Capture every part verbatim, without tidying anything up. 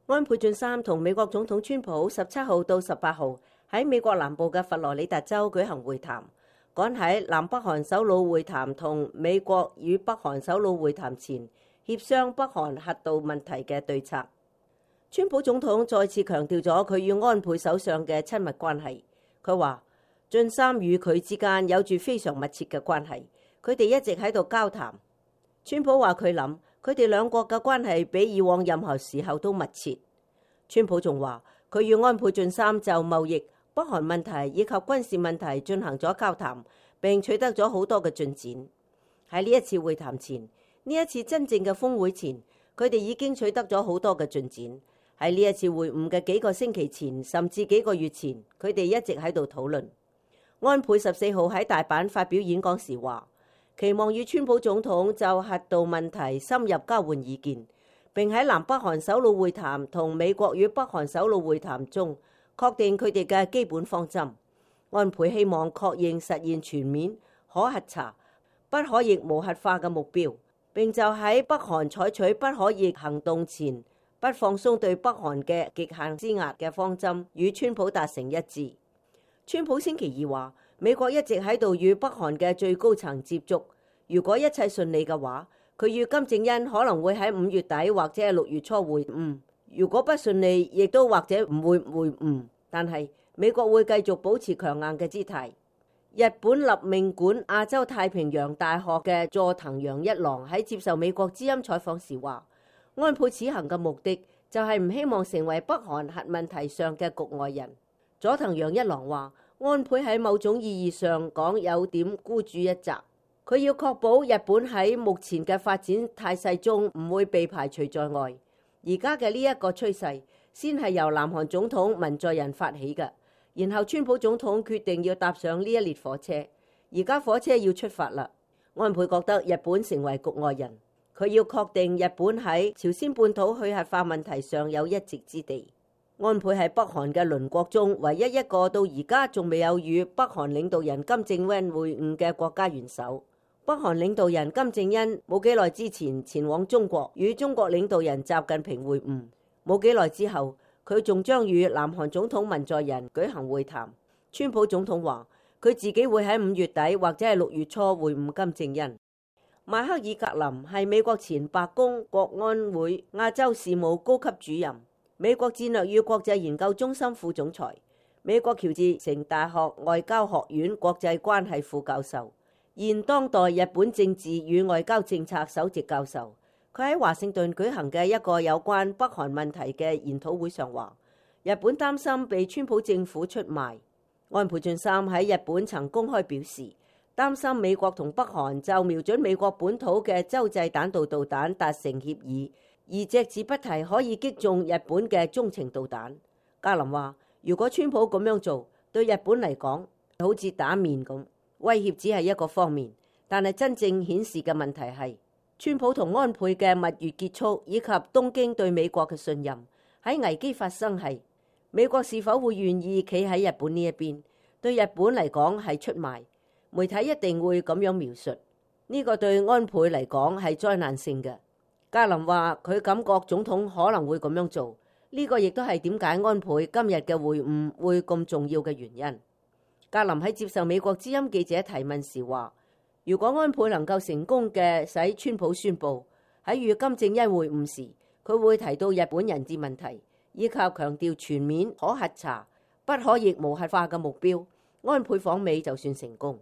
安倍晉三同美國總統川普十七號到十八號喺美國南部嘅佛羅里達州舉行會談，趕喺南北韓首腦會談同美國與北韓首腦會談前協商北韓核導問題嘅對策。川普總統再次強調咗佢與安倍首相嘅親密關係。佢話晉三與佢之間有住非常密切嘅關係，佢哋一直喺度交談。川普話佢諗佢哋兩國嘅關係比以往任何時候都密切。川普仲話佢與安倍晉三就貿易、北韓問題以及軍事問題進行咗交談，並取得咗好多嘅進展。喺呢一次會談前，呢一次真正嘅峰會前，佢哋已經取得咗好多嘅進展。喺呢一次會晤嘅幾個星期前，甚至幾個月前，佢哋一直喺度討論。安倍十四號喺大阪發表演講時話，期望與川普總統就核導問題深入交換意見，並喺南北韓首腦會談同美國與北韓首腦會談中確定佢哋嘅基本方針。安倍希望確認實現全面可核查、不可逆無核化嘅目標，並就喺北韓採取不可逆行動前不放鬆對北韓嘅極限施壓嘅方針，與川普達成一致。川普星期二話，美國一直喺度與北韓嘅最高層接觸，如果一切順利嘅話，佢與金正恩可能會喺五月底或者係六月初會晤。如果不順利，亦都或者唔會會晤。但係美國會繼續保持強硬嘅姿態。日本立命館亞洲太平洋大學嘅佐藤洋一郎喺接受美國之音採訪時話，安倍此行嘅目的就係唔希望成為北韓核問題上嘅局外人。佐藤洋一郎話，安倍喺某種意義上講有點孤注一擲，佢要確保日本喺目前嘅發展態勢中唔會被排除在外。而家嘅呢一個趨勢先係由南韓總統文在寅發起嘅，然後川普總統決定要搭上呢一列火車，而家火車要出發啦。安倍覺得日本成為局外人，佢要確定日本喺朝鮮半島去核化問題上有一席之地。安倍係北韓嘅鄰國中唯一一個到而家仲未有與北韓領導人金正恩會晤嘅國家元首。北韓領導人金正恩冇幾耐之前前往中國與中國領導人習近平會晤，冇幾耐之後佢仲將與南韓總統文在寅舉行會談。川普總統話佢自己會喺五月底或者係六月初會晤金正恩。邁克爾格林係美國前白宮國安會亞洲事務高級主任，美國戰略與國際研究中心副總裁，美國喬治城大學外交學院國際關係副教授，現當代日本政治與外交政策首席教授。佢喺華盛頓舉行嘅一個有關北韓問題嘅研討會上話，日本擔心被川普政府出賣。安倍晉三喺日本曾公開表示，擔心美國同北韓就瞄準美國本土嘅洲際彈道導彈達成協議，而隻字不提可以擊中日本嘅中程導彈。格林話，如果川普咁樣做，對日本嚟講好似打面咁，威脅只係一個方面，但係真正顯示嘅問題係川普同安倍嘅蜜月結束，以及東京對美國嘅信任。喺危機發生係美國是否會願意企喺日本呢一邊？對日本嚟講係出賣，媒體一定會咁樣描述。呢個對安倍嚟講係災難性嘅。格林話佢感覺總統可能會咁樣做，呢個亦都係點解安倍今日嘅會晤會咁重要嘅原因。格林喺接受美國之音記者提問時話，如果安倍能夠成功嘅使川普宣布喺與金正恩會晤時，佢會提到日本人質問題，以及強調全面可核查、不可逆無核化嘅目標，安倍訪美就算成功。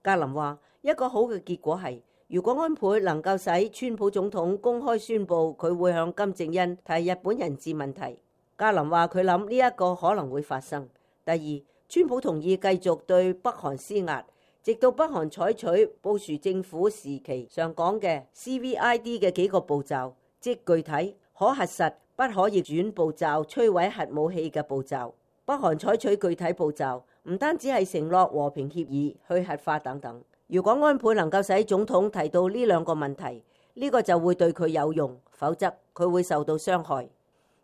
格林話一個好嘅結果係，如果安倍能夠使川普總統公開宣布佢會向金正恩提日本人質問題。格林話佢諗呢一個可能會發生。第二，川普同意繼續對北韓施壓，直到北韓採取布殊政府時期上講嘅 C V I D 嘅幾個步驟，即具體、可核實、不可逆轉步驟，摧毀核武器嘅步驟。北韓採取具體步驟，唔單止係承諾和平協議、去核化等等。如果安倍能夠使總統提到呢兩個問題，呢個就會對佢有用，否則佢會受到傷害。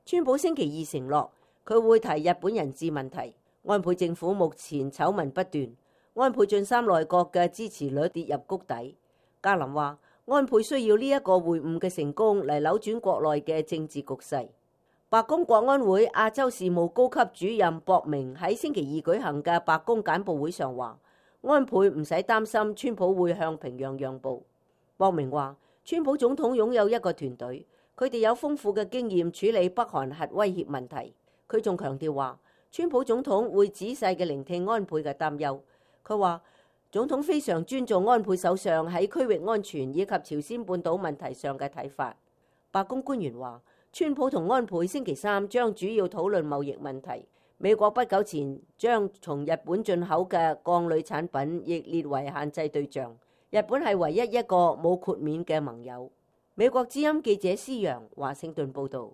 川普星期二承諾佢會提日本人質問題。安倍政府目前醜聞不斷，安倍晉三內閣嘅支持率跌入谷底。格林話安倍需要呢一個會晤嘅成功嚟扭轉國內嘅政治局勢。白宮國安會亞洲事務高級主任博明喺星期二舉行嘅白宮簡報會上話，安倍唔使擔心川普會向平壤讓步。博明話，川普總統擁有一個團隊，佢哋有豐富嘅經驗處理北韓核威脅問題。佢仲強調話，川普總統會仔細嘅聆聽安倍嘅擔憂。佢話，總統非常尊重安倍首相喺區域安全以及朝鮮半島問題上嘅睇法。白宮官員話，川普同安倍星期三將主要討論貿易問題。美國不久前將從日本進口嘅鋼鋁產品亦列為限制對象。日本係唯一一個冇豁免嘅盟友。美國之音記者施洋華盛頓報導。